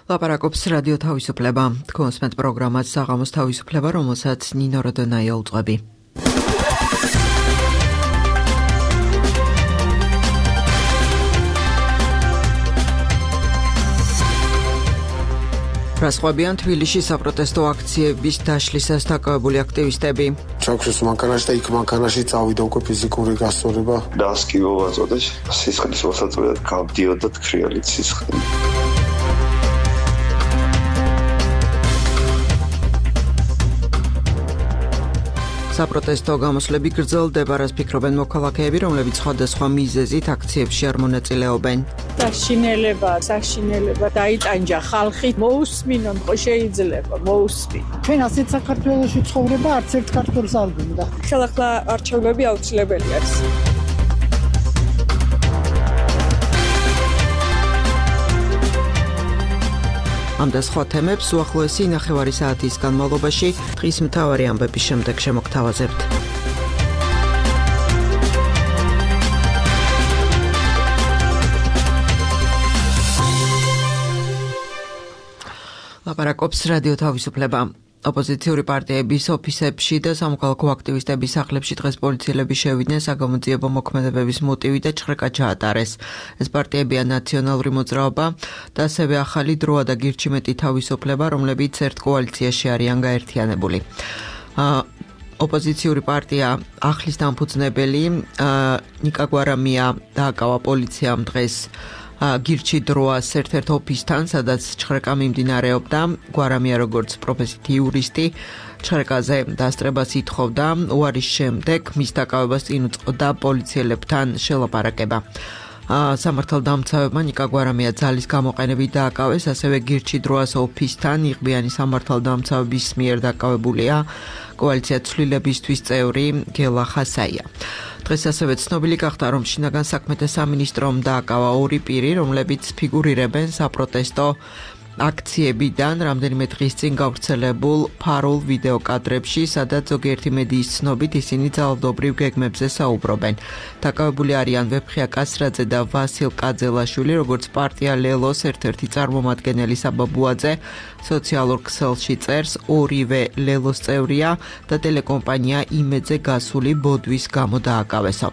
ლაპარაკობს რადიო თავისუფლება. კონსმენტ პროგრამას საღამოს თავისუფლება, რომელსაც ნინო როდონაია უწყები. რასხვებიან თბილისში საპროტესტო აქციების დაშლისას დაკავებული აქტივისტები. ჩაგვშეს მანქანაში და იქ მანქანაში წავიდა უკვე ფიზიკური გასწორება. დასკივო ვაწოდეთ, სისხლის მოსაწყვეტად გავდიოდა თქრიალით სისხლი. საპროტესტო გამოსვლები გრძელდება, რაც ფიქრობენ მოქალაქეები, რომლებიც სხვადასხვა მიზეზით აქციებში არ მონაწილეობენ. საშინელება დაიტანჯა ხალხი, მოусმინონ ხო შეიძლება, მოусმინ. ჩვენ ასეთ საქართველოში ცხოვრება არც ერთ ქართველს არ გვინდა. ხელახლა არჩევნები აუცილებელი არის. ამ და სხვა თემებს უახლოესი 9 საათის განმავლობაში დღის მთავარი ამბების შემდეგ შემოგთავაზებთ. ლაპარაკობს რადიო თავისუფლება. ოპოზიციური პარტიების ოფისებში და სამოქალაქო აქტივისტების სახლებში დღეს პოლიციელები შევიდნენ საგამოძიებო მოქმედებების მოტივით და ჭხრეკა ჩაატარეს. ეს პარტიებია ნაციონალური მოძრაობა და ასევე ახალი დროა და გირჩი მეტი თავისუფლება, რომლებიც ერთ კოალიციაში არიან გაერთიანებული. ოპოზიციური პარტია ახლის დამფუძნებელი ნიკა გვარამია დააკავა პოლიციამ დღეს გირჩი დროას ერთ-ერთ ოფისთან, სადაც ჭხრეკა მიმდინარეობდა. გვარამია როგორც პროფესიით იურისტი ჭხრეკაზე დასწრებას ითხოვდა, უარის შემდეგ მის დაკავებას წინ უწყობდა პოლიციელებთან შელაპარაკება. სამართალდამცავებმა ნიკა გვარამია ძალის გამოყენებით დააკავეს, ასევე გირჩი დროას ოფისთან იღბიანი სამართალდამცავების მიერ დაკავებულია კოალიცია ცვლილებისთვის წევრი გელა ხასაია. დღეს ასევე ცნობილი გახდა, რომ შინაგან საქმეთა სამინისტრომ დააკავა 2 პირი, რომლებიც ფიგურირებენ საპროტესტო აქციებიდან რამდენიმე დღის წინ გავრცელებულ ფარულ ვიდეო კადრებში, სადაც ზოგიერთი მედიის ცნობით ისინი ძალადობრივ გეგმებზე საუბრობენ. დაკავებული არიან ვეფხია კასრაძე და ვასილ კაძელაშვილი, როგორც პარტია ლელოს ერთ-ერთი წარმომადგენელი საბაბუაძე სოციალურ ქსელში წერს, ორივე ლელოს წევრია და ტელეკომპანია იმედზე გასული ბოდვის გამო დააკავესო.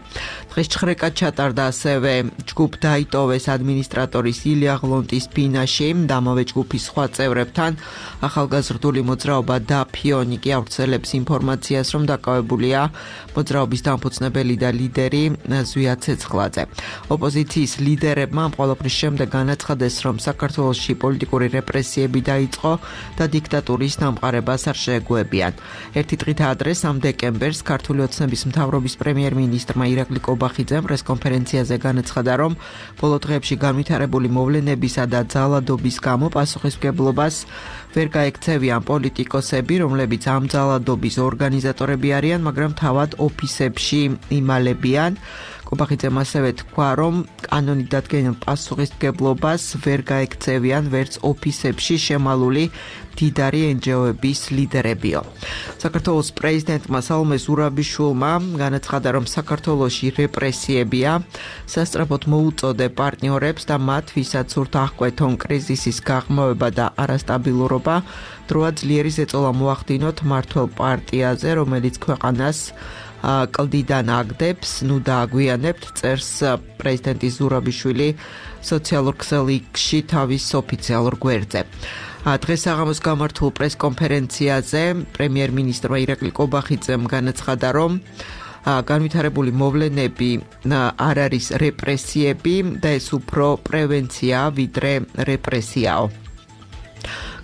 დღეს ჭხრეკა ჩატარდა ასევე ჯგუფ დაიტოვეს ადმინისტრატორის ილია ღლონტის ბინაში, ამავე ჯგუფის სხვა წევრებთან. ახალგაზრდული მოძრაობა და ფიონიკი ავრცელებს ინფორმაციას, რომ დაკავებულია მოძრაობის დამფუძნებელი და ლიდერი ზვია ცეცხლაძე. ოპოზიციის ლიდერებმა ამ ყველაფრის შემდეგ განაცხადეს, რომ საქართველოში პოლიტიკური რეპრესიები დაიწყო და დიქტატურის დამყარებას არ შეეგუებიან. ერთი დღით ადრე 3 დეკემბერს ქართული ოცნების მთავრობის პრემიერ-მინისტრმა ირაკლი კობახიძემ პრესკონფერენციაზე განაცხადა, რომ ბოლო დღეებში განვითარებული მოვლენებისა და ძალადობის გამო პასუხისმგებლობას ვერ გაექცევიან პოლიტიკოსები, რომლებიც ამ ძალადობის ორგანიზატორები არიან, მაგრამ თავად ოფისებში იმალებიან. კობახიძემ ასევე თქვა, რომ კანონით დადგენილ პასუხისმგებლობას ვერ გაექცევიან ვერც ოფისებში შემალული მდიდარი NGO-ების ლიდერებიო. საქართველოს პრეზიდენტმა სალომე ზურაბიშვილმა განაცხადა, რომ საქართველოში რეპრესიებია, სასწრაფოდ მოუწოდე პარტნიორებს და მათ, ვისაც სურთ აღკვეთონ კრიზისის გაღრმავება და არასტაბილურობა, დროა ძლიერი ზეწოლა მოახდინოთ მართველ პარტიაზე, რომელიც ქვეყანას კლდიდან აგდებს, ნუ დააგვიანებთ, წერს პრეზიდენტი ზურაბიშვილი სოციალურ ქსელში თავის ოფიციალურ გვერდზე. დღეს საღამოს გამართულ პრესკონფერენციაზე პრემიერ-მინისტრმა ირაკლი კობახიძემ განაცხადა, რომ განვითარებული მოვლენები არ არის რეპრესიები და ეს უფრო პრევენცია ვიდრე რეპრესიაო.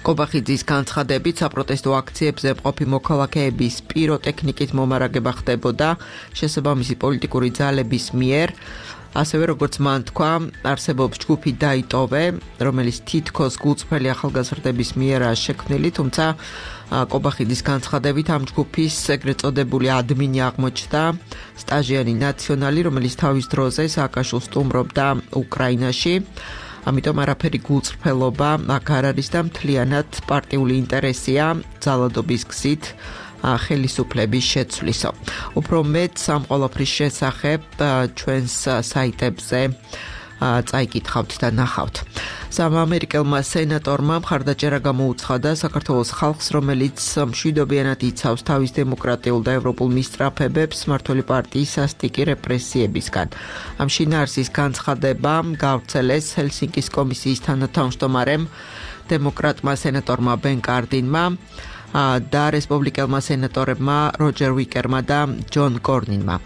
კობახიძის განცხადებით საპროტესტო აქციებზე მყოფი მოქალაქეების პიროტექნიკით მომარაგება ხდებოდა შესაბამისი პოლიტიკური ძალების მიერ. ასევე როგორც მან თქვა, არსებობს ჯგუფი დაიტოვე, რომელიც თითქოს გულწრფელი ახალგაზრდების მიერაა შექმნილი, თუმცა კობახიძის განცხადებით ამ ჯგუფის ეგრეთ წოდებული ადმინი აღმოჩნდა სტაჟიანი ნაციონალი, რომელიც თავის დროზე სააკაშვილს სტუმრობდა უკრაინაში. ამიტომ არაფერი გულწრფელობა აქ არ არის და მთლიანად პარტიული ინტერესია ძალადობის გზით ხელისუფლების შეცვლისო. უფრო მეტ ამ ყველაფრის შესახებ ჩვენს საიტებზე წაიკითხავთ და ნახავთ. სამამერიკელმა სენატორმა მხარდაჭერა გამოუცხადა საქართველოს ხალხს, რომელიც მშვიდობიანად იცავს თავის დემოკრატიულ და ევროპულ მისწრაფებებს მმართველი პარტიის სასტიკი რეპრესიებისგან. ამ შინაარსის განცხადება გავრცელეს ჰელსინკის კომისიის თანათავმჯდომარემ დემოკრატმა სენატორმა ბენ კარდინმა და რესპუბლიკელმა სენატორებმა როჯერ ვიკერმა და ჯონ კორნინმა.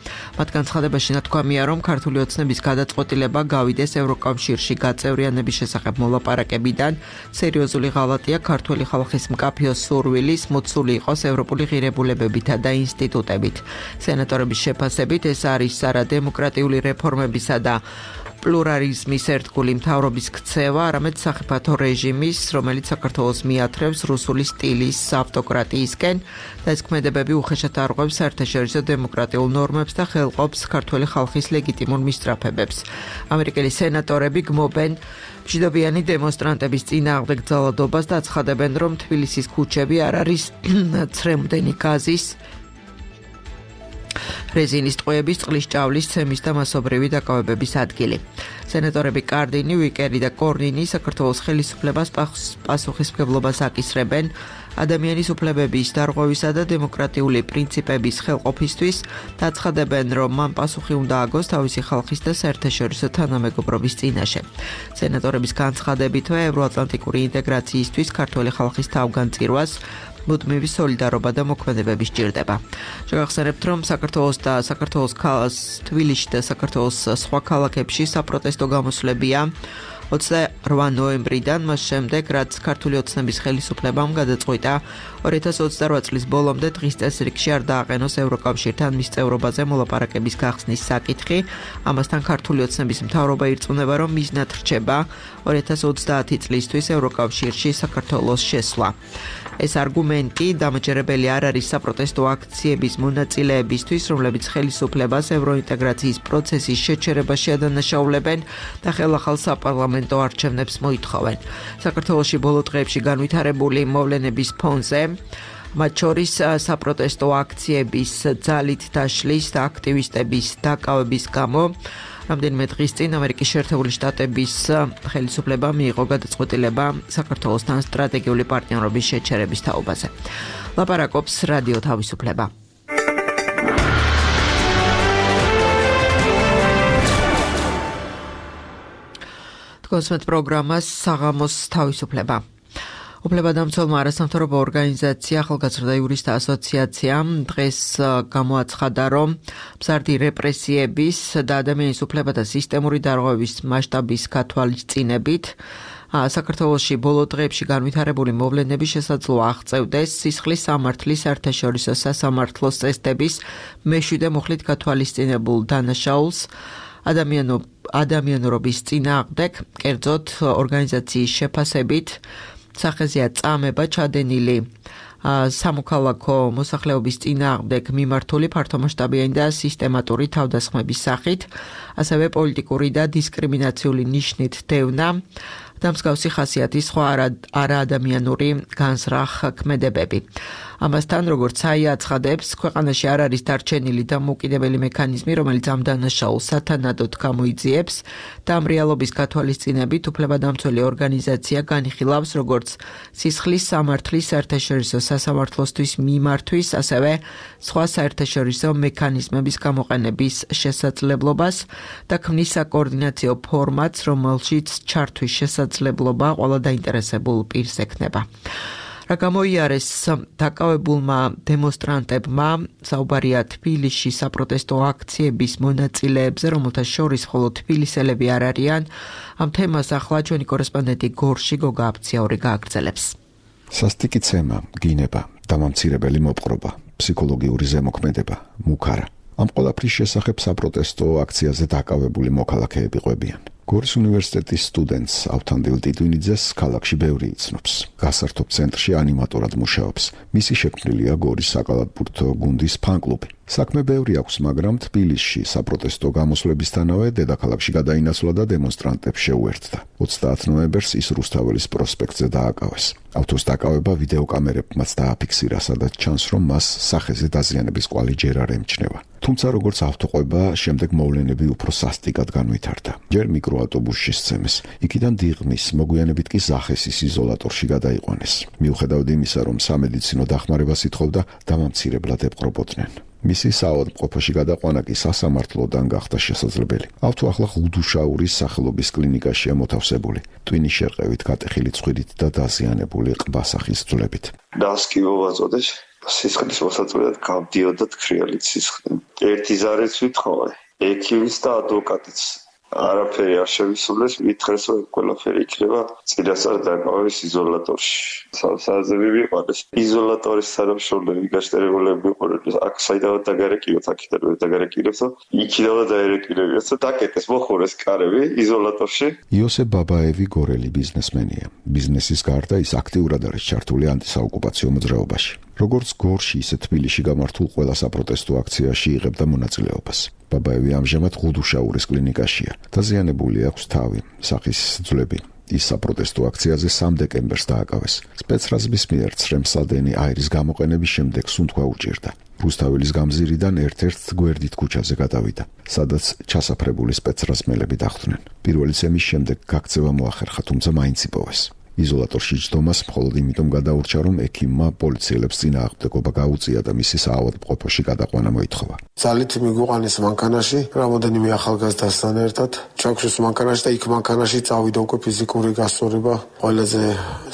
მათ განცხადებაში ნათქვამია, რომ ქართული ოცნების გადაწყვეტილება გავიდეს ევროკავშირში გაწევრიანების შესახებ მოლაპარაკებიდან. სერიოზული ღალატია ქართული ხალხის მკაფიო სურვილის მოცული იყოს ევროპული ღირებულებებითა და ინსტიტუტებით. სენატორების შეფასებით ეს არის არადემოკრატიული რეფორმებისა და პლურალიზმის ერთგული მთავრობის ქცევა, არამედ სახიფათო რეჟიმის, რომელიც საქართველოს მიათრევს რუსული სტილის ავტოკრატიისკენ და ეს ქმედებები უხეშად არღვევს საერთაშორისო დემოკრატიულ ნორმებს და ხელყოფს ქართული ხალხის ლეგიტიმურ მისწრაფებებს. ამერიკელი სენატორები გმობენ მშვიდობიანი დემონსტრანტების წინააღმდეგ ძალადობას და აცხადებენ, რომ თბილისის ქუჩები არ არის ცრემლდენი გაზის, რეზინის ტყვეების, წყლის ჭავლის, ცემის და მასობრივი დაკავებების ადგილი. სენატორები კარდინი, ვიკერი და კორნინი საქართველოს ხელისუფლებას პასუხისმგებლობას აკისრებენ ადამიანის უფლებების დარღვევისა და დემოკრატიული პრინციპების ხელყოფისთვის და აცხადებენ, რომ მან პასუხი უნდა აგოს თავისი ხალხის და საერთაშორისო თანამეგობრობის წინაშე. სენატორების განცხადებითვე ევროატლანტიკური ინტეგრაციისთვის ქართული ხალხის თავგანწირვას მუდმივი სოლიდარობა და მოქმედებები სჭირდება. შევახსენებთ, რომ საქართველოს თბილისში და საქართველოს სხვა ქალაქებში საპროტესტო გამოსვლებია 28 ნოემბრიდან, მას შემდეგ, რაც ქართული ოცნების ხელისუფლებამ გადაწყვიტა 2028 წლის ბოლომდე დღის წესრიგში არ დააყენოს ევროკავშირთან მის წევრობაზე მოლაპარაკების გახსნის საკითხი. ამასთან ქართული ოცნების მთავრობა ირწმუნება, რომ მიზნად რჩება 2030 წლისთვის ევროკავშირში საქართველოს შესვლა. ეს არგუმენტი დამაჯერებელი არ არის საპროტესტო აქციების მონაწილეებისთვის, რომლებიც ხელისუფლებას ევროინტეგრაციის პროცესის შეჩერებაში ადანაშაულებენ და ხელახალ საპარლამენტო არჩევნებს მოითხოვენ. საქართველოში ბოლო დღეებში განვითარებული მოვლენების ფონზე, მათ შორის საპროტესტო აქციების ძალით დაშლის და აქტივისტების დაკავების გამო რამდენიმე დღის წინ ამერიკის შეერთებული შტატების ხელისუფლებამ მიიღო გადაწყვეტილება საქართველოსთან სტრატეგიული პარტნიორობის შეჩერების თაობაზე. ლაპარაკობს რადიო თავისუფლება. თქვენს პროგრამას საღამოს თავისუფლება. უფლებადამცველმა არასამთავრობო ორგანიზაცია ახალგაზრდა იურისტთა ასოციაცია დღეს გამოაცხადა, რომ მზარდი რეპრესიების და ადამიანის უფლებათა სისტემური დარღვევის მასშტაბის გათვალისწინებით საქართველოში ბოლო დღეებში განვითარებული მოვლენები შესაძლოა აღწევდეს სისხლის სამართლის საერთაშორისო სასამართლოს წესდების მეშვიდე მუხლით გათვალისწინებულ დანაშაულს ადამიანურობის წინააღმდეგ, კერძოდ ორგანიზაციის შეფასებით სახეზეა წამება ჩადენილი სამოქალაქო მოსახლეობის წინააღმდეგ მიმართული ფართომასშტაბიანი და სისტემატური თავდასხმების სახით, ასევე პოლიტიკური და დისკრიმინაციული ნიშნით დევნა და მსგავსი ხასიათის სხვა არაადამიანური განზრახ ქმედებები. ამასთან, როგორც საია აცხადებს, ქვეყანაში არ არის დარჩენილი დამოუკიდებელი მექანიზმი, რომელიც ამ დანაშაულს სათანადოდ გამოიძიებს და ამ რეალობის გათვალისწინებით უფლებადამცველი ორგანიზაცია განიხილავს როგორც სისხლის სამართლის საერთაშორისო სასამართლოსთვის მიმართვის, ასევე სხვა საერთაშორისო მექანიზმების გამოყენების შესაძლებლობას და ქმნის საკოორდინაციო ფორმატს, რომელშიც ჩართვის შესაძლებლობა ყველა დაინტერესებულ პირს ექნება. რა გამოიარეს დაკავებულმა დემონსტრანტებმა, საუბარია თბილისში საპროტესტო აქციების მონაწილეებზე, რომელთა შორის მხოლოდ თბილისელები არ არიან. ამ თემას ახლა ჩვენი კორესპონდენტი გორში გოგა აფციური გააგრძელებს. სასტიკი ცემა, გინება, დამამცირებელი მოპყრობა, ფსიქოლოგიური ზემოქმედება, მუქარა. ამ ყველაფრის შესახებ საპროტესტო აქციაზე დაკავებული მოქალაქეები ყვებიან. გორის უნივერსიტეტის სტუდენტს ავთანდილ ტიტვინიძეს ქალაქში ბევრი იცნობს. გასართობ ცენტრში ანიმატორად მუშაობს. მისი შექმნილია გორის საკალათბურთო გუნდის ფან-კლუბი. საქმე ბევრი აქვს, მაგრამ თბილისში საპროტესტო გამოსვლებისთანავე დედაქალაქში გადაინაცვლა და დემონსტრანტებს შეუერთდა. 30 ნოემბერს ის რუსთაველის პროსპექტზე დააკავეს. ავტოს დაკავება ვიდეოკამერებმაც დააფიქსირა, სადაც ჩანს, რომ მას სახეზე დაზიანების კვალი ჯერ არ ემჩნევა. თუმცა როგორც ავტოყვება, შემდეგ მოვლენები უფრო სასტიკად განვითარდა. ჯერ მიკროავტობუსში სცემეს, იქიდან დიღმის, მოგვიანებით კი ზახესის იზოლატორში გადაიყვანეს. მიუხედავად იმისა, რომ სამედიცინო დახმარებას ითხოვდა, დამამცირებლად ეპყრობოდნენ. მისი საავადმყოფოში გადაყვანა კი სასამართლოდან გახდა შესაძლებელი. ავთო ახლა ღუდუშაურის სახელობის კლინიკაშია მოთავსებული, ტვინის შერყევით გატეხილი ცხვირით და დაზიანებული ყბასახის ძვლებით. დასკი მოვაწოდეს, სისხლის მოსაწყვეტად გავდიოდათ ქრიალით სისხლი. ერთი ზარეც ვითხოვე, ექიმის და ადვოკატიც. არაფერი არ შევისრულეს, ვითხრეს, რომ ყველაფერი იქნება წინასწარ დაკავების იზოლატორში. საზები ვიყარეს. იზოლატორის თანამშრომლები გაშტერებულები ვიყურეთ, აქ საიდანაც დაგარეკილოთ, აქედან დაგარეკილოთ, იქიდანაც დაერეკილებიათ და დაკეტეს მოხურეს კარები იზოლატორში. იოსებ ბაბაევი გორელი ბიზნესმენია. ბიზნესის გარდა ის აქტიურად არის ჩართული ანტისაოკუპაციო მოძრაობაში. როგორც გორში, ისე თბილისში გამართულ ყველა საპროტესტო აქციაში იღებდა მონაწილეობას. ბაბაევი ამჟამად ღუდუშაურის კლინიკაშია. დაზიანებული აქვს თავი, სახის ძვლები. ის საპროტესტო აქციაზე 3 დეკემბერს დააკავეს. სპეცრაზმის მიერ ცრემსადენი აირის გამოყენების შემდეგ სუნთქვა უჭირდა. რუსთაველის გამზირიდან ერთ-ერთ გვერდით ქუჩაზე გადავიდა, სადაც ჩასაფრებული სპეცრაზმელები დახვდნენ. პირველი ცემის შემდეგ გაქცევა მოახერხა, თუმცა მაინც იპოვეს. იზოლატორში ჯდომას მხოლოდ იმიტომ გადაურჩა, რომ ექიმმა პოლიციელებს წინააღმდეგობა გაუწია და მისი საავადმყოფოში გადაყვანა მოითხოვა. ძალით მიგვიყვანეს მანქანაში, რამოდენიმე ახალგაზრდასთან ერთად. ჩაგვშეს მანქანაში და იქ მანქანაში წავიდა უკვე ფიზიკური გასწორება. ყველაზე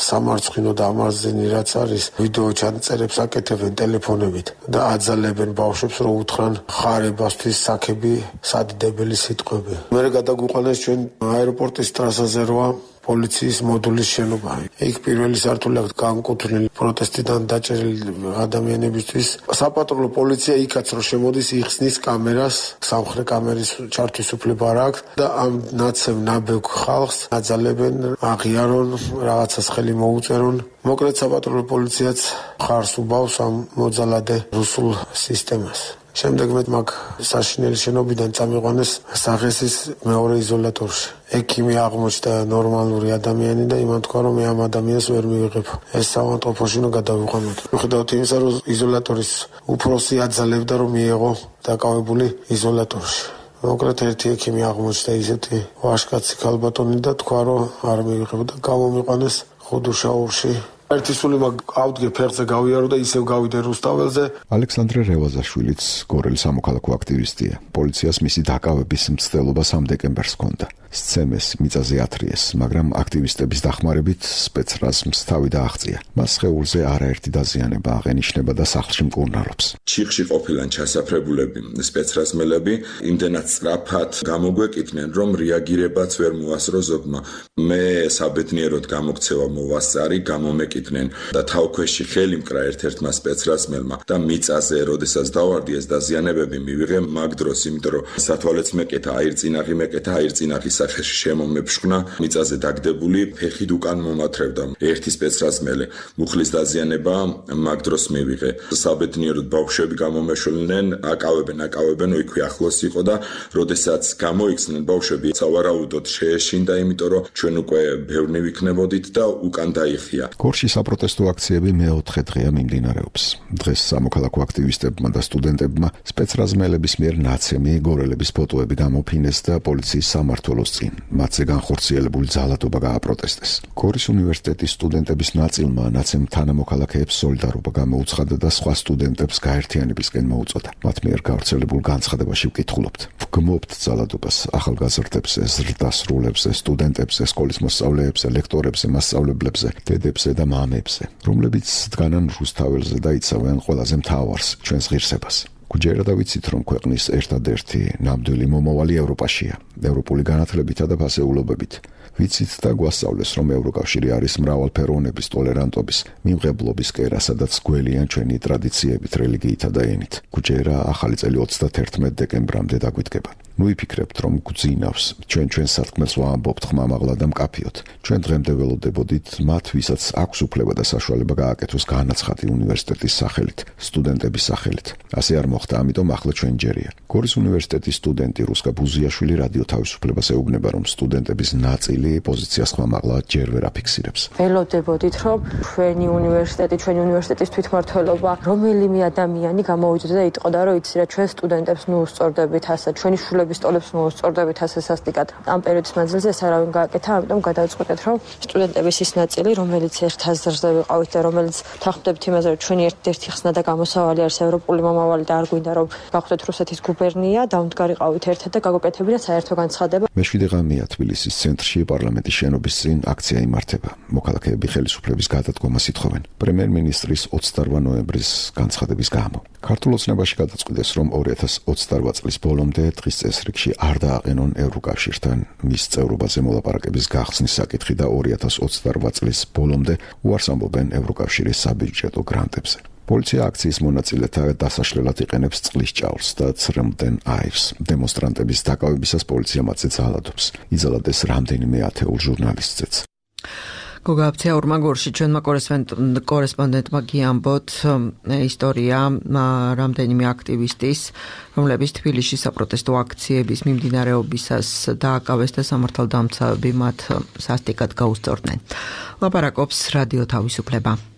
სამარცხინო და ამარზენი რაც არის, ვიდეო ჩანაწერებს აკეთებენ ტელეფონებით და აძალებენ ბავშვებს, რომ უთხრან ხარებასთვის საქები, სადიდებელი სიტყვები. მერე გადაგვიყვანეს ჩვენ აეროპორტის ტრასაზე როა პოლიციის მოდულის შენობა. იქ პირველი სართული აქვს განკუთვნილი პროტესტიდან დაჭერილი ადამიანებისთვის. საპატრულო პოლიცია იქაც რომ შემოდის, იხსნის კამერას, სამხრეთ კამერის ჩართვის უფლება არ აქვს და ამ ნაცებ ნაბექ ხალხს აძალებენ, აღიარონ, რაღაცას ხელი მოუწერონ. მოკლედ საპატრულო პოლიციაც ხარს უბავს ამ მოძალადე რუსულ სისტემას. შემდეგ მე მაგ საშინელი შენობიდან წამიყვანეს სახესის მეორე იზოლატორში. ექიმი აღმოჩნდა ნორმალური ადამიანი და იმან თქვა, რომ მე ამ ადამიანს ვერ მივიღებ. ეს საავადმყოფოში უნდა გადავიყვანოთ. მიუხედავად იმისა, რომ იზოლატორის უფროსი აძალებდა, რომ მიეღო დაკავებული იზოლატორში. მოკლედ ერთი ექიმი აღმოჩნდა ისეთი ვაშკაცი ქალბატონი და თქვა, რომ არ მივიღებ და გამომიყვანეს ღუდუშაურში. ერთი სული ავდგე ფეხზე გავიარო და ისევ გავიდე რუსთაველზე. ალექსანდრე რევაზაშვილიც გორელი სამოქალაქო აქტივისტია. პოლიციას მისი დაკავების მცდელობა 3 დეკემბერს ჰქონდა. სცემეს, მიწაზე ათრიეს, მაგრამ აქტივისტების დახმარებით სპეცრაზმს თავი დააღწია. მას სხეულზე არაერთი დაზიანება აღენიშნება და სახლში მკურნალობს. ჩიხში ყოფილან ჩასაფრებულები სპეცრაზმელები იმდენად სწრაფად გამოგვეკითნენ, რომ რეაგირებაც ვერ მოასწრო ზოგმა. მე საბედნიეროდ გამოქცევა მოვასწარი, გამომეკითნენ და თავქვეში ხელი მკრა ერთ-ერთმა სპეცრაზმელმა და მიწაზე, როდესაც დავარდი ეს დაზიანებები მივიღე მაგ დროს, იმიტომ რომ სათვალეც მეკეთა, აირწინაღი მეკეთა, აირწინაღის სახეში შემომეფშქნა, მიწაზე დაგდებული, ფეხით უკან მომათრევდა. ერთი სპეცრაზმელი მუხლის დაზიანება მაგ დროს მივიღე. საბედნიეროდ ბავშვები გამომეშველნენ, აკავებენ, იქვე ახლოს იყო და როდესაც გამოიქცნენ ბავშვები, სავარაუდოდ შეეშინდა, იმიტომ რომ ჩვენ უკვე ბევრნი ვიქნებოდით და უკან დაიხია. გორში საპროტესტო აქციები მე-4 დღეა მიმდინარეობს. დღეს სამოქალაქო აქტივისტებმა და სტუდენტებმა სპეცრაზმელების მიერ ნაცემი გორელების ფოტოები გამოფინეს და პოლიციის სამმართველოს წინ მათზე განხორციელებული ძალადობა გააპროტესტეს. გორის უნივერსიტეტის სტუდენტების ნაწილმა ნაცემ თანამოქალაქეებს სოლიდარობა გამოუცხადა და სხვა სტუდენტებს გაერთიანებისკენ მოუწოდა. მათ მიერ გავრცელებულ განცხადებაში ვკითხულობთ. ვგმობთ ძალადობას ახალგაზრდებზე, ზრდასრულებზე, სტუდენტებზე, სკოლის მოსწავლეებზე, ლექტორებზე, მასწავლებლებზე, დედებზე და მამებზე, რომლებიც დგანან რუსთაველზე და იცავენ ყველაზე მთავარს, ჩვენს ღირსებას. გუჯერა ვიცით, რომ ქვეყნის ერთადერთი ნამდვილი მომავალი ევროპაშია, ევროპული განათლებითა და ფასეულობებით. ვიცით და გვასწავლეს, რომ ევროკავშირი არის მრავალფეროვნების, ტოლერანტობის, მიმღებლობის კერა, სადაც გველიან ჩვენი ტრადიციებით, რელიგიითა და ენით. გუჯერა ახალი წელი 31 დეკემბრამდე დაგვიდგება. ნუ იფიქრებთ, რომ გძინავს, ჩვენ სათქმელს ვამბობთ ხმამაღლა და მკაფიოდ. ჩვენ დღემდე ველოდებოდით მათ, ვისაც აქვს უფლება და საშუალება გააკეთოს განაცხადი უნივერსიტეტის სახელით, სტუდენტების სახელით. ასე არ მოხდა, ამიტომ ახლა ჩვენ ჯერია. გორის უნივერსიტეტის სტუდენტი რუსკა ბუზიაშვილი რადიო თავისუფლებას ეუბნება, რომ სტუდენტების ნაწილი მართალი პოზიციას ხმამაღლა ჯერ ვერ აფიქსირებს. ველოდებოდით, რომ ჩვენი უნივერსიტეტის თვითმმართველობა რომელიმე ადამიანი გამოვიძოდა და იტყოდა, რომ იცი რა, ჩვენ სტუდენტებს ნუუსწორდებით ასე, ჩვენი შვილების სტოლებს ნუუსწორდებით ასე სასტიკად. ამ პერიოდის მანძილზე ეს არავინ გააკეთა, ამიტომ გადავწყვეტეთ, რომ სტუდენტების ის ნაწილი, რომელიც ერთ აზრზე ვიყავით და რომელიც თანხმდებით იმაზე, რომ ჩვენი ერთ-ერთი ხსნა და გამოსავალი არის ევროპული მომავალი და არ გვინდა რომ გავხდეთ რუსეთის გუბერნია, დავმდგარიყავით ერთად და გაგუკეთებინა საერთო განცხადება. მეშვიდე ღამეა თბილისის ცენტრში პარლამენტის შენობის წინ აქცია იმართება. მოქალაქეები ხელისუფლების გადადგომას ითხოვენ პრემიერ-მინისტრის 28 ნოემბრის განცხადების გამო. ქართულ ოცნებაში გადაწყვიტეს, რომ 2028 წლის ბოლომდე დღის წესრიგში არ დააყენონ ევროკავშირთან მის წევრობაზე მოლაპარაკების გახსნის საკითხი და 2028 წლის ბოლომდე უარს ამბობენ ევროკავშირის საბიუჯეტო გრანტებზე. პოლიცია აქციის მონაწილეთა დასაშლელად იყენებს წყლის ჭაურს და ცრემლდენ აირს. დემონსტრანტების დაკავებისას პოლიცია მათზე ძალადობს. იძალადეს რამდენიმე ათეულ ჟურნალისტზეც. გოგაბცია ურმაგორში ჩვენმა კორესპონდენტმა გიამბოთ ისტორია რამდენიმე აქტივისტის, რომლებიც თბილისში საპროტესტო აქციების მიმდინარეობისას დააკავეს და სამართალდამცავები მათ სასტიკად გაუსწორდნენ. ლაპარაკობს რადიო თავისუფლება.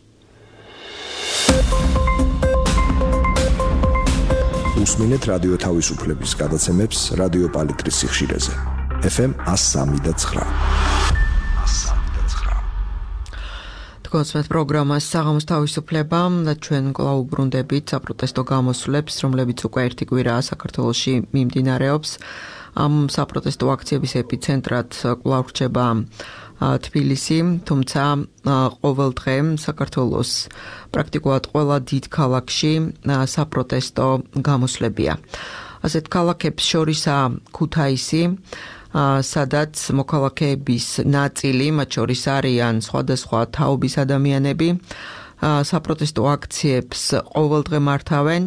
უსმინეთ რადიო თავისუფლების გადაცემებს რადიო პალიტრის სიხშირეზე. FM 103.9. კონსმეთ პროგრამას საღამოს თავისუფლება და ჩვენ კვლავ უბრუნდებით საპროტესტო გამოსვლებს, რომლებიც უკვე ერთი კვირაა საქართველოში მიმდინარეობს. ამ საპროტესტო აქციების ეპიცენტრად კვლავ რჩება თბილისი, თუმცა ყოველ დღე საქართველოს პრაქტიკულად ყველა დიდ ქალაქში საპროტესტო გამოსვლებია. ასეთ ქალაქებს შორისაა ქუთაისი, სადაც მოქალაქეების ნაწილი, მათ შორის არიან სხვადასხვა თაობის ადამიანები, საპროტესტო აქციებს ყოველდღე მართავენ.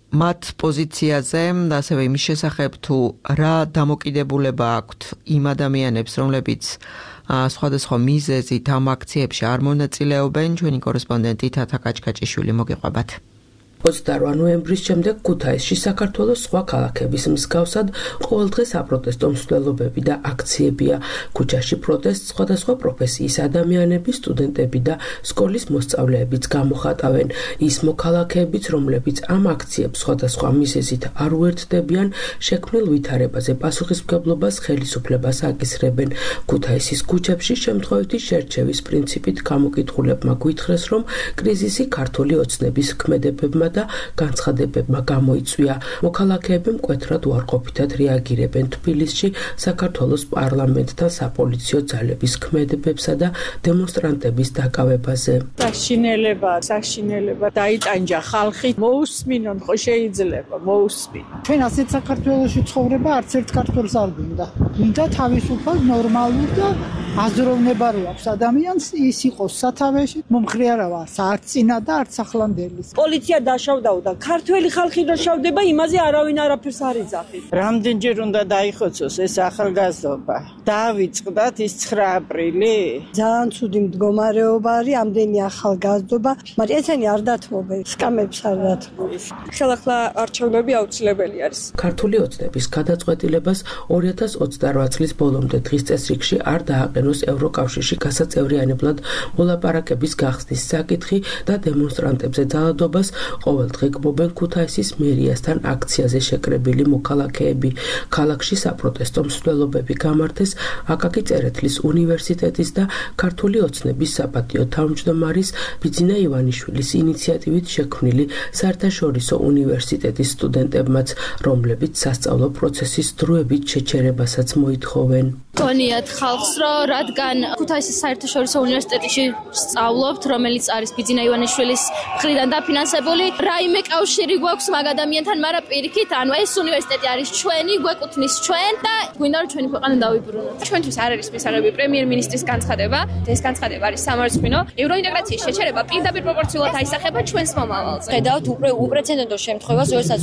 მათ პოზიციაზე და ასევე იმის შესახებ თუ რა დამოკიდებულება აქვთ იმ ადამიანებს, რომლებიც სხვადასხვა მიზეზით ამ აქციებში არ მონაწილეობენ, ჩვენი კორესპონდენტი თათა კაჭკაჭიშვილი მოგიყვებათ. 28 ნოემბრის შემდეგ ქუთაისში საქართველოს სხვა ქალაქების მსგავსად ყოველდღე საპროტესტო მსვლელობები და აქციებია. ქუჩაში პროტესტს სხვადასხვა პროფესიის ადამიანები, სტუდენტები და სკოლის მოსწავლეებიც გამოხატავენ. ის მოქალაქეებიც, რომლებიც ამ აქციებს სხვადასხვა მიზეზით არ უერთდებიან, შექმნილ ვითარებაზე პასუხისმგებლობას ხელისუფლებას აკისრებენ. ქუთაისის ქუჩებში შემთხვევითი შერჩევის პრინციპით გამოკითხულებმა გვითხრეს, რომ კრიზისი ქართული ოცნების ქმედებებმა და განცხადებებმა გამოიწვია. მოქალაქეები მკვეთრად უარყოფითად რეაგირებენ თბილისში საქართველოს პარლამენტთან საპოლიციო ძალების ქმედებებსა და დემონსტრანტების დაკავებაზე. საშინელება დაიტანჯა ხალხი, მოусმინონ ხო შეიძლება, მოусმინონ. ჩვენ ასეთ საქართველოში ცხოვრება არც ერთ ქართველს არ გვინდა. გვინდა თავისუფალ, ნორმალურ და აზროვნება რო აქვს ადამიანს, ის იყოს სათავეში, მომხრე არა ვარ, არც წინა და არც ახლანდელი. პოლიცია დაშავდაო და ქართველი ხალხი დაშავდება, იმაზე არავინ არაფერს არ იძახის. რამდენჯერ უნდა დაიხოცოს ეს ახალგაზრდობა? დავიწყდათ ის 9 აპრილი? ძალიან ცუდი მდგომარეობა არის, ამდენი ახალგაზრდობა, მაგრამ ესენი არ დათმობენ, სკამებს არ დათმობენ. ხელახლა არჩევნები აუცილებელი არის. ქართული ოცნების გადაწყვეტილებას 2028 წლის ბოლომდე დღის წესრიგში არ დააყენოს ევროკავშირში გასაწევრიანებლად მოლაპარაკების გახსნის საკითხი და დემონსტრანტებზე ძალადობას ყოველდღე გმობენ ქუთაისის მერიასთან აქციაზე შეკრებილი მოქალაქეები. ქალაქში საპროტესტო მსვლელობები გამართეს აკაკი წერეთლის უნივერსიტეტის და ქართული ოცნების საპატიო თავმჯდომარის ბიძინა ივანიშვილის ინიციატივით შექმნილი საერთაშორისო უნივერსიტეტის სტუდენტებმაც, რომლებიც სასწავლო პროცესის დროებით შეჩერებასაც მოითხოვენ. გონიათ ხალხს, რომ რადგან ქუთაისის საერთაშორისო უნივერსიტეტში სწავლობთ, რომელიც არის ბიძინა ივანიშვილის მხრიდან დაფინანსებული, რაიმე კავშირი გვაქვს მაგ ადამიანთან, მაგრამ პირიქით, ანუ ეს უნივერსიტეტი არის ჩვენი, გვეკუთვნის ჩვენ და გვინდა რომ ჩვენი ქვეყანა დავიბრუნოთ. ჩვენთვის არ არის მისაღები პრემიერ-მინისტრის განცხადება, ეს განცხადება არის სამარცხვინო. ევროინტეგრაციის შეჩერება პირდაპირ პროპორციულად აისახება ჩვენს მომავალზე. ხედავთ უპრეცედენტო შემთხვევას, როდესაც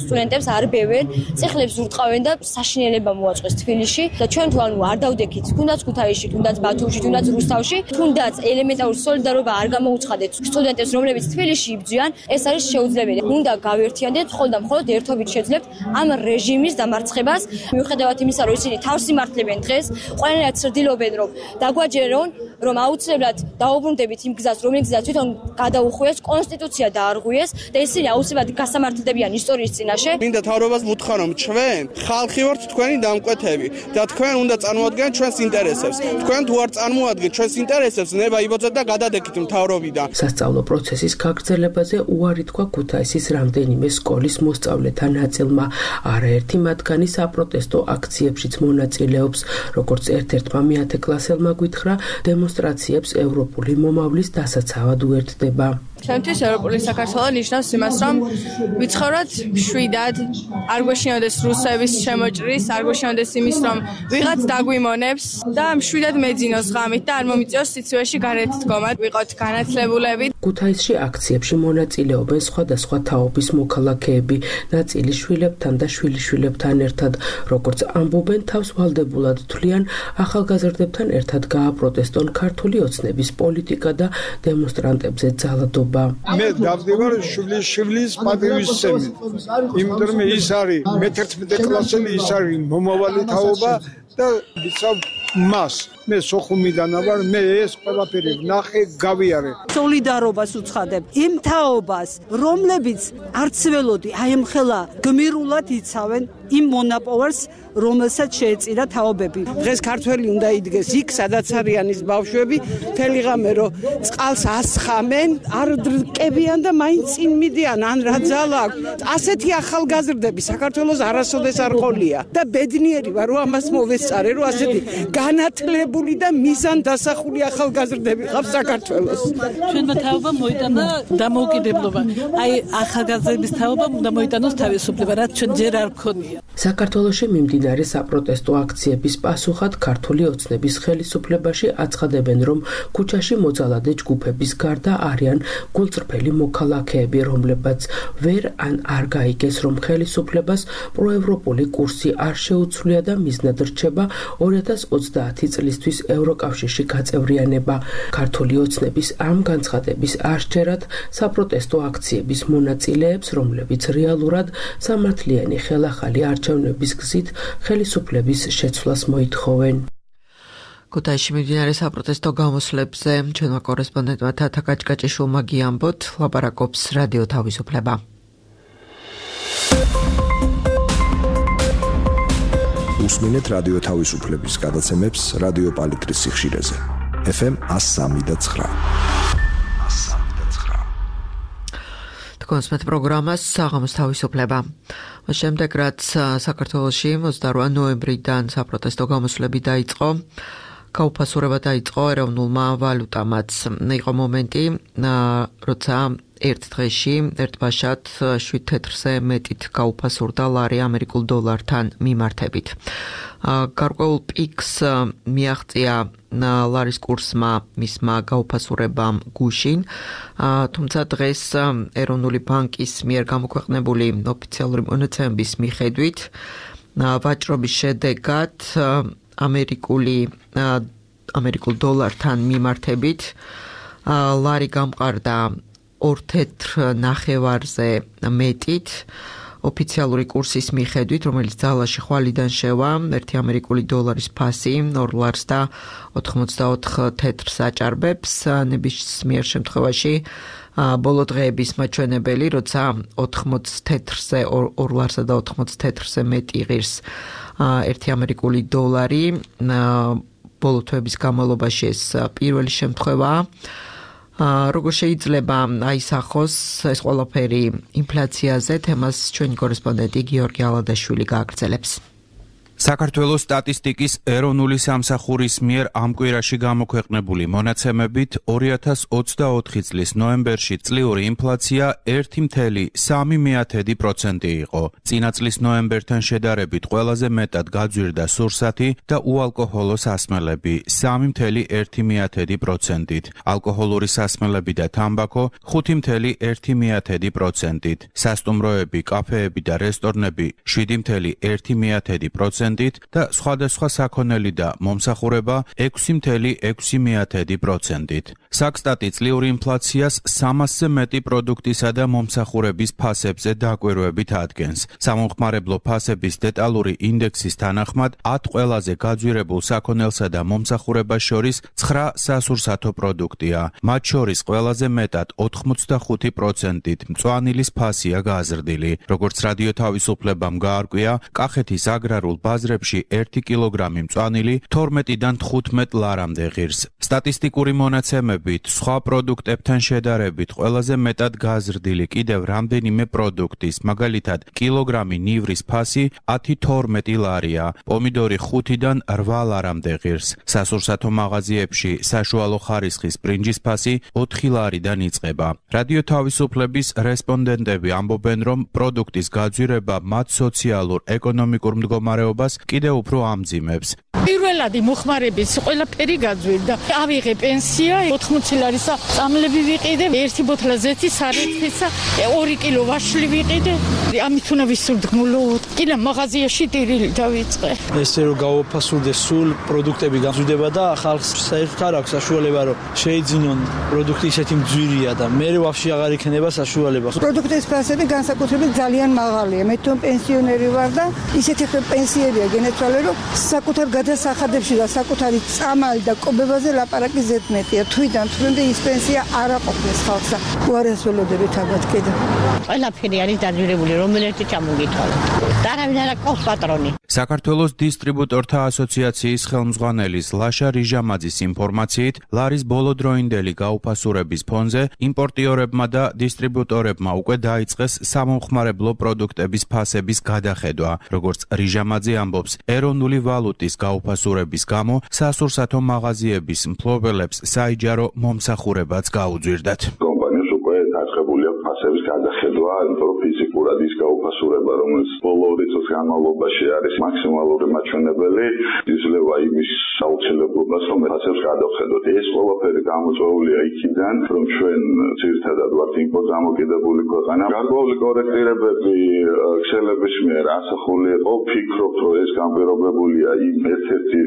სტუდენტებს არ ბევენ, წეხლებს ურტყავენ და საშინელება მოაწყვეს თბილისში და ჩვენ თუ ანუ არ დავდექით, თუნდაც ქუთაისში, თუნდაც ბათუმში, თუნდაც რუსთავში, თუნდაც ელემენტარული სოლიდარობა არ გამოუცხადეთ სტუდენტებს, რომლებიც თბილისში იბრძვიან, ეს არის შეუძლებელი. უნდა გავერთიანდეთ, მხოლოდ და მხოლოდ ერთობით შეძლებთ ამ რეჟიმის დამარცხებას. მიუხედავად იმისა, რომ ისინი თავს იმართლებენ დღეს, ყველანაირად ცდილობენ, რომ დაგვაჯერონ, რომ აუცილებლად დაუბრუნდებით იმ გზას, რომელიც გზა თვითონ გადაუხვიეს, კონსტიტუცია დაარღვიეს და ისინი აუცილებლად გასამართლდებიან ისტორიის წინაშე. მინდა თავრობას ვუთხრა, რომ ჩვენ ხალხი ვართ თქვენი დამკვეთები და თქვენ უნდა წარმოადგენთ ჩვენს ინტერესებს. თქვენ თუ არ წარმოადგენთ ჩვენს ინტერესებს, ნება იბოძეთ და გადადექით მთავრობიდან. სასწავლო პროცესის გაგრძელებაზე უარი თქვა ქუთაისის რამდენიმე სკოლის მოსწავლეთა ნაწილმა. არაერთი მათგანი საპროტესტო აქციებშიც მონაწილეობს, როგორც ერთ-ერთმა მეათე კლასელმა გვითხრა, დემონსტრაციებს ევროპული მომავლის დასაცავად უერთდება. ჩემთვის ევროპული საქართველო ნიშნავს იმას, რომ ვიცხოვროთ მშვიდად, არ გვეშინოდეს რუსების შემოჭრის, არ გვეშინოდეს იმის, რომ ვიღაც დაგვიმონებს და მშვიდად მეძინოს ღამით და არ მომიწიოს სიცივეში გარეთ დგომა, ვიყოთ განათლებულები. ქუთაისში აქციებში მონაწილეობენ სხვადასხვა თაობის მოქალაქეები, ნაწილი შვილებთან და შვილიშვილებთან ერთად, როგორც ამბობენ, თავს ვალდებულად თვლიან ახალგაზრდებთან ერთად გააპროტესტონ ქართული ოცნების პოლიტიკა და დემონსტრანტებზე ძალადობა. მე დავდივარ შვილის პატივისცემით, იმიტომ რომ ის არის მე-11 კლასელი, ის არის მომავალი თაობა და ვიცავ მას. მე სოხუმიდან ვარ, მე ეს ყველაფერი ვნახე, გავიარე. სოლიდარობას უცხადებ იმ თაობას, რომლებიც არც ველოდი აი მხელა გმირულად იცავენ იმ მონაპოვარს, რომელსაც შეეწირა თაობები. დღეს ქართველი უნდა იდგეს იქ, სადაც არიან ის ბავშვები, მთელი ღამე რომ წყალს ასხამენ, არ დრკებიან და მაინც წინ მიდიან, ან რა ძალა აქვს. ასეთი ახალგაზრდები საქართველოს არასოდეს არ ყოლია და ბედნიერი ვარ, რომ ამას მოვესწარე, რომ ასეთი განათლებული და მიზან დასახული ახალგაზრდები ყავს საქართველოს. ჩვენმა თაობამ მოიტანა დამოუკიდებლობა. აი ახალგაზრდების თაობამ უნდა მოიტანოს თავისუფლება, რაც ჩვენ ჯერ არ გქონია. საქართველოში მიმდინარე საპროტესტო აქციების პასუხად ქართული ოცნების ხელისუფლებაში აცხადებენ, რომ ქუჩაში მოძალადე ჯგუფების გარდა არიან გულწრფელი მოქალაქეები, რომლებაც ვერ ან არ გაიგეს, რომ ხელისუფლებას პროევროპული კურსი არ შეუცვლია და მიზნად რჩება 2030 წლისთვის ევროკავშირში გაწევრიანება. ქართული ოცნების ამ განცხადების აღჭერად საპროტესტო აქციების მონაწილეებს, რომლებიც რეალურად სამართლიანი ხელახალი არჩევნების გზით ხელისუფლების შეცვლას მოითხოვენ. ქუთაისში მიმდინარე საპროტესტო გამოსვლებზე ჩვენმა კორესპონდენტმა თათა კაჭკაჭიშვილმა გიამბოთ, ლაპარაკობს რადიო თავისუფლება. უსმინეთ რადიო თავისუფლების გადაცემებს რადიო პალიტრის სიხშირეზე. FM 103.9. კონსმეთ პროგრამას საღამოს თავისუფლება. შემდეგ რაც საქართველოში 28 ნოემბრიდან საპროტესტო გამოსვლები დაიწყო, გაუფასურება დაიწყო ეროვნულმა ვალუტამაც. იყო მომენტი, როცა ერთ დღეში ერთ ბაშად 7 თეთრზე მეტით გაუფასურდა ლარი ამერიკულ დოლართან მიმართებით. გარკვეულ პიკს მიაღწია ლარის კურსმა მისმა გაუფასურებამ გუშინ, თუმცა დღეს ეროვნული ბანკის მიერ გამოქვეყნებული ოფიციალური მონაცემების მიხედვით ვაჭრობის შედეგად ამერიკულ დოლართან მიმართებით ლარი გამყარდა 2 თეთრ ნახევარზე მეტით ოფიციალური კურსის მიხედვით, რომელიც ძალაში ხვალიდან შევა, 1 ამერიკული დოლარის ფასი 2 ლარს და 84 თეთრს აჭარბებს. ნებისმიერ შემთხვევაში ბოლო დღეების მაჩვენებელი, როცა 80 თეთრზე 2 ლარსა და 80 თეთრზე მეტი ღირს 1 ამერიკული დოლარი, ბოლო თვეების განმავლობაში ეს პირველი შემთხვევაა. როგორ შეიძლება აისახოს ეს ყველაფერი ინფლაციაზე, თემას ჩვენი კორესპონდენტი გიორგი ალადაშვილი გააგრძელებს. საქართველოს სტატისტიკის ეროვნული სამსახურის მიერ ამ კვირაში გამოქვეყნებული მონაცემებით 2024 წლის ნოემბერში წლიური ინფლაცია 1,3% იყო. წინა წლის ნოემბერთან შედარებით ყველაზე მეტად გაძვირდა სურსათი და უალკოჰოლო სასმელები 3,1%-ით. ალკოჰოლური სასმელები და თამბაქო 5,1%-ით. სასტუმროები, კაფეები და რესტორნები 7,1%-ით. 6.6%-ით და სხვადასხვა საქონელი და მომსახურება 6.6%-ით. საქსტატი წლიური ინფლაციას 300-ზე მეტი პროდუქტისა და მომსახურების ფასებზე დაკვირვებით ადგენს. სამომხმარებლო ფასების დეტალური ინდექსის თანახმად 10 ყველაზე გაძვირებულ საქონელსა და მომსახურებას შორის 9 სასურსათო პროდუქტია. მათ შორის ყველაზე მეტად 85%-ით მწვანილის ფასია გაზრდილი. როგორც რადიო თავისუფლებამ გაარკვია, კახეთის აგრარულ ბაზრებში 1 კილოგრამი მწვანილი 12-დან 15 ლარამდე ღირს. სტატისტიკური მონაცემებით, სხვა პროდუქტებთან შედარებით ყველაზე მეტად გაზრდილი კიდევ რამდენიმე პროდუქტის, მაგალითად, კილოგრამი ნივრის ფასი 10-12 ლარია, პომიდორი 5-დან 8 ლარამდე ღირს. სასურსათო მაღაზიებში საშუალო ხარისხის ბრინჯის ფასი 4 ლარიდან იწყება. რადიო თავისუფლების რესპონდენტები ამბობენ, რომ პროდუქტის გაძვირება მათ სოციალურ-ეკონომიკურ მდგომარეობას კიდევ უფრო ამძიმებს. პირველადი მოხმარების ყველაფერი გაძვირდა. ავიღე პენსია 80 ლარისა, წამლები ვიყიდე, 1 ბოთლა ზეთი სარეცხისა, 2 კილო ვაშლი ვიყიდე. ამით უნდა ვისურდგმულო. კიდე მაღაზიაში ტირილი დავიწყე. ესე რომ გავაფასურდეს სულ პროდუქტები გამზვირდება და ხალხს საერთოდ არ აქვს საშუალება რომ შეიძინონ პროდუქტი ისეთი მძვირია და მე ვაფშე აღარ იქნება საშუალება. პროდუქტის ფასები განსაკუთრებით ძალიან მაღალია. მე თვითონ პენსიონერი ვარ და ისეთი პენსიებია გენეცვალე რომ საკუთარ გადასახადებში და საკუთარი წამალი და კობებაზე ლაპარაკი ზედმეტია. თვითონ ის პენსია არ აყოფს ხალხს და უარესველოდებით ალბათ კიდე. ყველაფერი არის დაძვირებული, რომელერთი ჩამოგითვალა. და არავინ არ აქვს პატრონი. საქართველოს დისტრიბუტორთა ასოციაციის ხელმძღვანელის ლაშა რიჟამაძის ინფორმაციით, ლარის ბოლოდროინდელი გაუფასურების ფონზე იმპორტიორებმა და დისტრიბუტორებმა უკვე დაიწყეს სამომხმარებლო პროდუქტების ფასების გადახედვა. როგორც რიჟამაძე ამბობს, ეროვნული ვალუტის გაუფასურების გამო სასურსათო მაღაზიების მფლობელებს საიჯარო მომსახურებაც გაუძვირდათ. კომპანიას უკვე დაწყებული აქვს ფასების გადახედვა, იმიტომ რომ ფიზიკურად ის გაუფასურება, რომელიც ბოლო 2 წლის განმავლობაში არის მაქსიმალური მაჩვენებელი, იძლევა იმის საუცილებლობას, რომ ფასებს გადავხედოთ. ეს ყველაფერი გამოწვეულია იქიდან, რომ ჩვენ ძირითადად ვართ იმპორტ-დამოკიდებული ქვეყანა. გარკვეული კორექტირებები ქსელების მიერ ასახული იყო. ვფიქრობ, რომ ეს განპირობებულია იმ ერთ-ერთი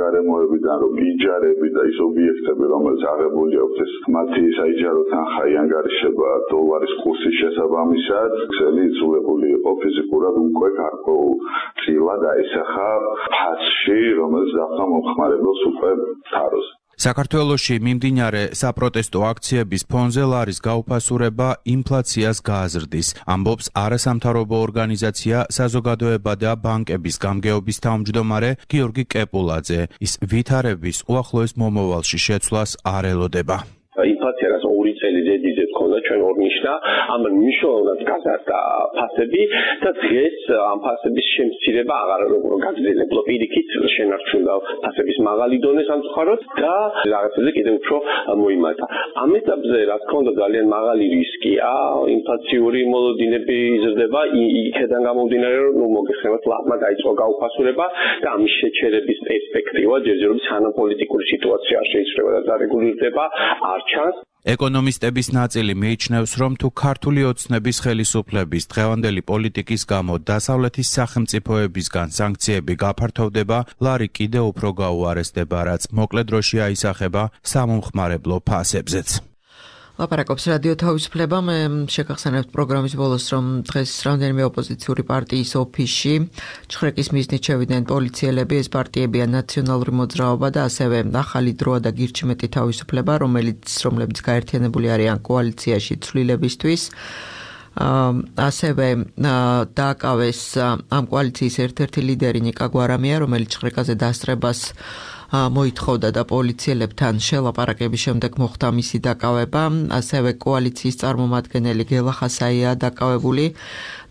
გარემოებიდან, რომ იჯარები და ის ობიექტები, რომელიც აღებული აქვს, ეს მათი საიჯარო თანხა ანგარიშება დოლარის კურსის შესაბამისად, ქსელი იცვლებული იყო ფიზიკურად უკვე გარკვეულ წილად აისახა ფასში, რომელიც დახმა მომხმარებელს უკვე თაროს. საქართველოში მიმდინარე საპროტესტო აქციების ფონზე ლარის გაუფასურება ინფლაციას გააზრდის, ამბობს არასამთავრობო ორგანიზაცია საზოგადოება და ბანკების გამგეობის თავმჯდომარე გიორგი კეპულაძე. ის ვითარების უახლოეს მომავალში შეცვლას არ ელოდება. ინფლაცია რაც 2 წელი ზედიზე თქონდა ჩვენ ორნიშნა, ამ მნიშვნელოვნად გაზარდა ფასები და დღეს ამ ფასების შემცირება აღარ გაგრძელებულა. პირიქით შენარჩუნდა ფასების მაღალი დონე სამწუხაროდ და რაღაცებზე კიდევ უფრო მოიმატა. ამ ეტაპზე რა თქმა უნდა ძალიან მაღალი რისკია, ინფლაციური მოლოდინები იზრდება, იქედან გამომდინარე რომ მოგეხსენებათ ლარმა დაიწყო გაუფასურება და ამის შეჩერების პერსპექტივა ჯერჯერობით სანამ პოლიტიკური სიტუაცია არ შეიცვლება და დარეგულირდება არ ჩანს. ეკონომისტების ნაწილი მიიჩნევს, რომ თუ ქართული ოცნების ხელისუფლების დღევანდელი პოლიტიკის გამო დასავლეთის სახელმწიფოებისგან სანქციები გაფართოვდება, ლარი კიდევ უფრო გაუარესდება, რაც მოკლე დროში აისახება სამომხმარებლო ფასებზეც. ლაპარაკობს რადიო თავისუფლება. მე შეგახსენებთ პროგრამის ბოლოს, რომ დღეს რამდენიმე ოპოზიციური პარტიის ოფისში ჩხრეკის მიზნით შევიდნენ პოლიციელები. ეს პარტიებია ნაციონალური მოძრაობა და ასევე ახალი დროა და გირჩმეტი თავისუფლება, რომლებიც გაერთიანებული არიან კოალიციაში ცვლილებისთვის. ასევე დააკავეს ამ კოალიციის ერთ-ერთი ლიდერი ნიკა გვარამია, რომელიც ჩხრეკაზე დასწრებას მოითხოვდა და პოლიციელებთან შელაპარაკების შემდეგ მოხდა მისი დაკავება. ასევე კოალიციის წარმომადგენელი გელა ხასაია დაკავებული.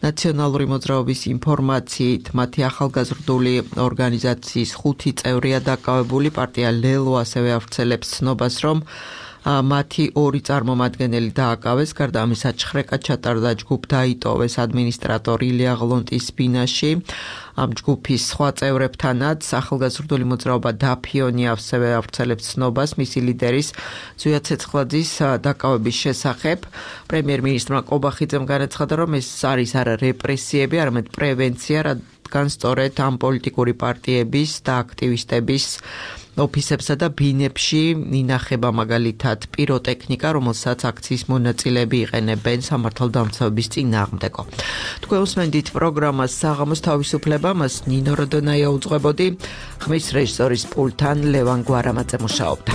ნაციონალური მოძრაობის ინფორმაციით მათი ახალგაზრდული ორგანიზაციის 5 წევრია დაკავებული. პარტია ლელო ასევე ავრცელებს ცნობას, რომ მათი 2 წარმომადგენელი დააკავეს, გარდა ამისა ჩხრეკა ჩატარდა ჯგუფ დაიტოვეს ადმინისტრატორი ილია ღლონტის ბინაში. ამ ჯგუფის სხვა წევრებთანაც ახალგაზრდული მოძრაობა დაფიონი ასევე ავრცელებს ცნობას მისი ლიდერის ზვია ცეცხლაძის დაკავების შესახებ. პრემიერ-მინისტრმა ყობახიძემ განაცხადა, რომ ეს არის არა რეპრესიები, არამედ პრევენცია, რადგან სწორედ ამ პოლიტიკური პარტიების და აქტივისტების ოფისებსა და ბინებში ინახება მაგალითად პიროტექნიკა, რომელსაც აქციის მონაწილეები იყენებენ სამართალდამცავების წინააღმდეგო. თქვენ უსმენთ პროგრამას საღამოს თავისუფლება, მას ნინო როდონაია უძღვებოდი, ხმის რეჟისორის პულტთან ლევან გვარამაძე მუშაობდა.